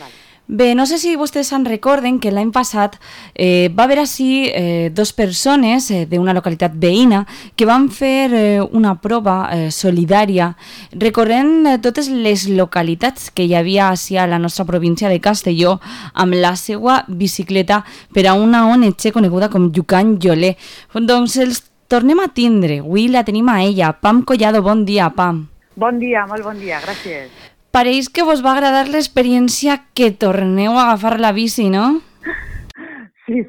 Vale. Bé, no sé si vostès se'n recorden que l'any passat va haver així dos persones d'una localitat veïna que van fer una prova solidària recorrent totes les localitats que hi havia així a la nostra província de Castelló amb la seva bicicleta per a una ONG coneguda com Llucan Lloler. Doncs els tornem a tindre. Avui la tenim a ella. Pam Collado, bon dia, Pam. Bon dia, molt bon dia, gràcies. Pareix que vos va agradar l'experiència que torneu a agafar la bici, no? Sí.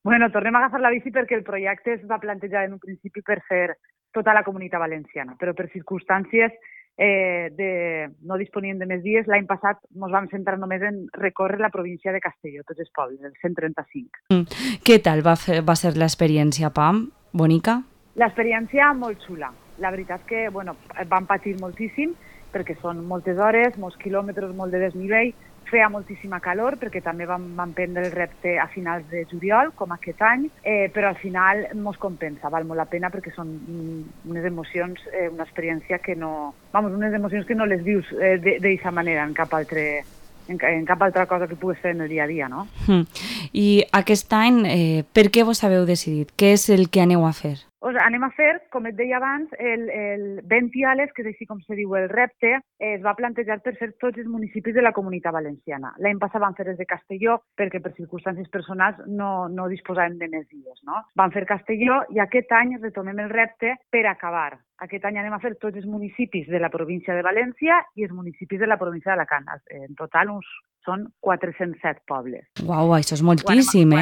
Bueno, tornem a agafar la bici perquè el projecte es va plantejar en un principi per fer tota la comunitat valenciana, però per circumstàncies no disponíem de més dies. L'any passat ens vam centrar només en recórrer la província de Castelló, tots els pobles, els 135. Què tal va ser l'experiència, Pam? Bonica? L'experiència molt xula. La veritat és que vam patir moltíssim, perquè són moltes hores, molts quilòmetres, molt de desnivell, feia moltíssima calor, perquè també vam prendre el repte a finals de juliol, com aquest any, però al final ens compensa, val molt la pena, perquè són unes emocions, una experiència que unes emocions que no les vius d'aquesta manera en cap altra cosa que puguis fer en el dia a dia, no? I aquest any, per què vos haveu decidit? Què és el que aneu a fer? Anem a fer, com et deia abans, el 20 Diales, que és així com se diu el repte, es va plantejar per fer tots els municipis de la comunitat valenciana. L'any passat van fer els de Castelló perquè per circumstàncies personals no disposàvem de més dies, no? Van fer Castelló i aquest any retomem el repte per acabar. Aquest any anem a fer tots els municipis de la província de València i els municipis de la província d'Alacant. En total són 407 pobles. Uau, això és moltíssim,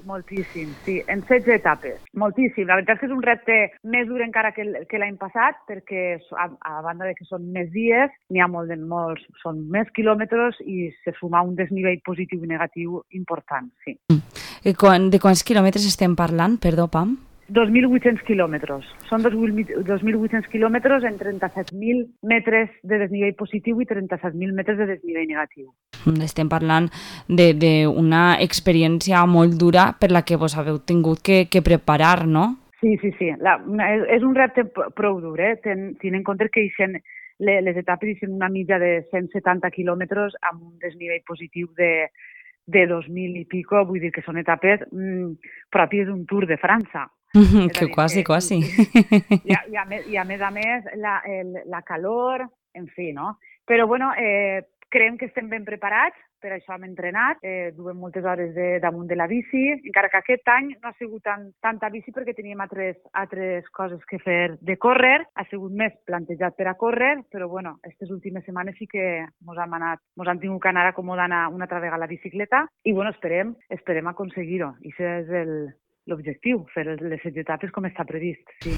Moltíssim, sí, en 16 etapes. Moltíssim. La veritat és que és un repte més dur encara que l'any passat, perquè a banda de que són més dies, n'hi ha molts, són més quilòmetres i se suma un desnivell positiu i negatiu important, sí. De quants quilòmetres estem parlant, perdó, Pam? 2.800 quilòmetres. Són 2.800 quilòmetres en 37.000 metres de desnivell positiu i 37.000 metres de desnivell negatiu. Estem parlant d'una experiència molt dura per la que vos haveu tingut que preparar, no? Sí. És un repte prou dur, tenint en compte que les etapes són una mitja de 170 quilòmetres amb un desnivell positiu de 2.000 i pico, vull dir que són etapes pròpies d'un Tour de França. Que quasi. I a més, la calor, en fi, no? Però, creiem que estem ben preparats, per això hem entrenat, duem moltes hores damunt de la bici, encara que aquest any no ha sigut tanta bici perquè teníem altres coses que fer de córrer, ha sigut més plantejat per a córrer, però aquestes últimes setmanes sí que ens han tingut que anar acomodant una altra vegada la bicicleta i esperem aconseguir-ho. I això és l'objectiu, fer les 7 etapes com està previst. Sí.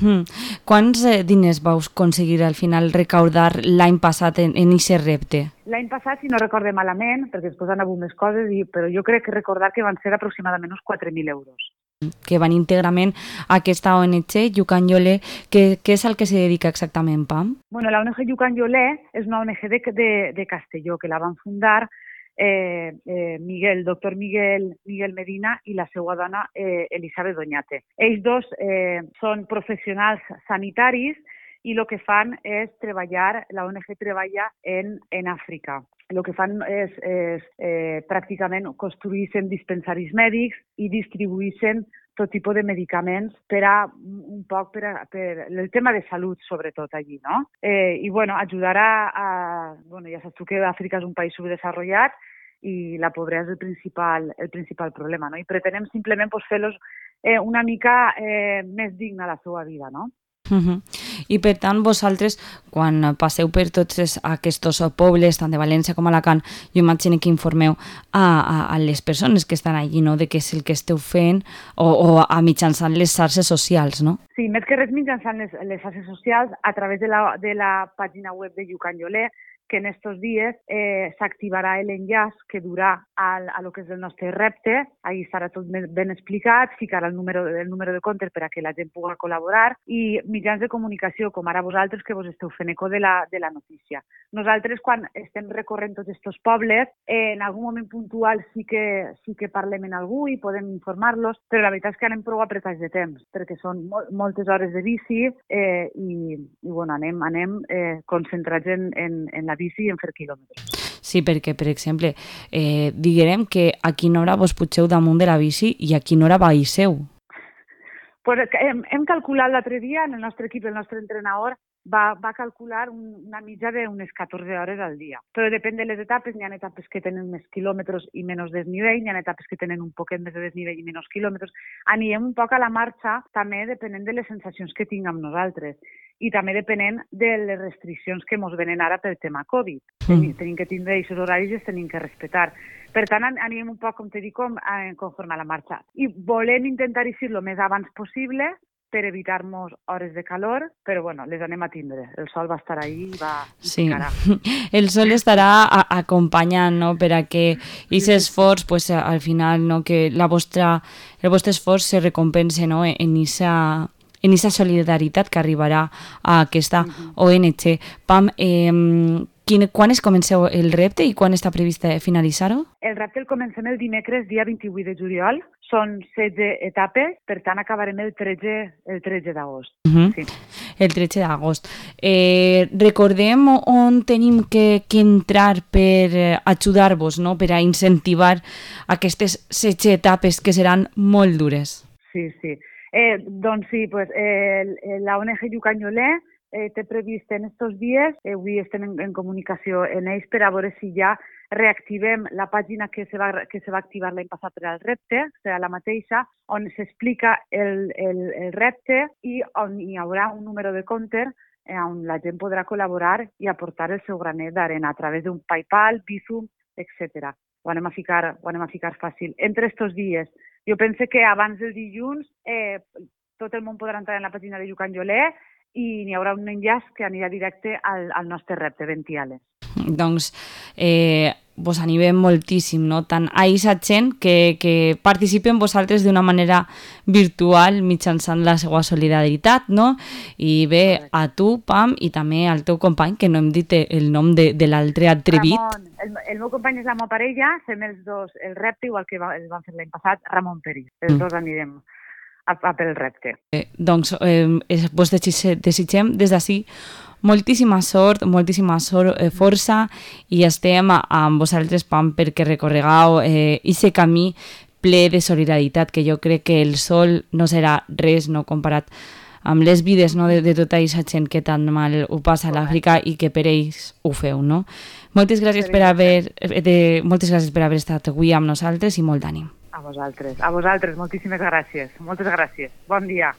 Quants diners vau aconseguir al final recaudar l'any passat en aquest repte? L'any passat, si no recorde malament, perquè després han hagut més coses, però jo crec que recordar que van ser aproximadament uns 4.000 euros. Que van íntegrament a aquesta ONG, Llucan Lloler, què és el que se dedica exactament, Pam? La ONG Llucan Lloler és una ONG de Castelló, que la van fundar el doctor Miguel Medina i la seva dona Elisabet Doñate. Ells dos són professionals sanitaris i el que fan és treballar, la ONG treballa en Àfrica. El que fan és pràcticament construir-se dispensaris mèdics i distribuir-se tot tipus de medicaments per el tema de salut, sobretot allí, no? I ajudar ja saps tu que Àfrica és un país subdesenvolupat i la pobresa és el principal problema, no? I pretenem simplement fer-los una mica més digna la seva vida, no? I per tant vosaltres quan passeu per tots aquests pobles tant de València com Alacant, jo imagino que informeu a les persones que estan allí, no? De què és el que esteu fent o mitjançant les xarxes socials, no? Sí, més que res mitjançant les xarxes socials a través de la pàgina web de Llucan Lloler, que en estos dies s'activarà l'enllaç que durà a lo que és el nostre repte. Ahí estarà tot ben explicat, ficarà el número de compte per a que la gent pugui col·laborar i mitjans de comunicació, com ara vosaltres, que vos esteu fent eco de la notícia. Nosaltres, quan estem recorrent tots aquests pobles, en algun moment puntual sí que parlem amb algú i podem informar-los, però la veritat és que anem prou apretats de temps, perquè són moltes hores de bici i anem concentrats en la bici i en fer quilòmetres. Sí, perquè, per exemple, diguem que a quina hora vos pugeu damunt de la bici i a quina hora baixeu. Pues hem calculat l'altre dia, en el nostre equip, el nostre entrenador, va calcular una mitja d'unes 14 hores al dia. Però depèn de les etapes, n'hi ha etapes que tenen més quilòmetres i menys desnivell, n'hi ha etapes que tenen un poquet més de desnivell i menys quilòmetres. Anirem un poc a la marxa, també depenent de les sensacions que tinguem nosaltres i també depenent de les restriccions que ens venen ara pel tema Covid. Tenim que tindre aquests horaris i els tenim que respectar. Per tant, anirem un poc, com te dic, conforme a la marxa. I volem intentar eixir el més abans possible per evitar-nos hores de calor, però bueno, les anem a tindre. El sol va estar ahí i va picarà. El sol estarà acompanyant, no?, per a que aquest esforç, pues, al final, no?, que el vostre esforç se recompense, no?, en esa solidaritat que arribarà a aquesta ONG. Pam, quan es comenceu el repte i quan està previst finalitzar-ho? El repte el comencem el dimecres, dia 28 de juliol. Són 16 etapes, per tant acabarem el 13 d'agost. Sí. El 13 d'agost. Recordem on tenim que entrar per ajudar-vos, no?, per a incentivar aquestes 16 etapes que seran molt dures. Sí. Doncs sí, pues, la ONG Llucanyolè té previst en aquests dies, avui estem en comunicació en ells per a veure si ja reactivem la pàgina que se va activar l'any passat per al repte, serà la mateixa, on s'explica el repte i on hi haurà un número de compte on la gent podrà col·laborar i aportar el seu granet d'arena a través d'un PayPal, Bizum, etc. Ho anem a ficar fàcil. Entre aquests dies, jo penso que abans del dilluns tot el món podrà entrar en la pàgina de Llucanyolè i n'hi haurà un enllaç que anirà directe al nostre repte, Ventiales. Doncs vos animem moltíssim, no?, tant a aquesta gent que participen vosaltres d'una manera virtual mitjançant la seva solidaritat, no?, i bé, a tu, Pam, i també al teu company, que no hem dit el nom de l'altre atrevit. Ramon, el meu company és la meva parella, fem els dos el repte, igual que el vam fer l'any passat, Ramon Peris. Els dos anirem a pel repte. Doncs vos desitgem des d'ací moltíssima sort, força, i estem amb vosaltres, Pam, perquè recorregueu aquest camí ple de solidaritat, que jo crec que el sol no serà res, no, comparat amb les vides, no, de tota aquesta gent que tan mal ho passa a l'Àfrica i que per ells ho feu, no? Moltes gràcies per haver estat avui amb nosaltres i molt d'ànim. A vosaltres, moltíssimes gràcies. Moltes gràcies. Bon dia.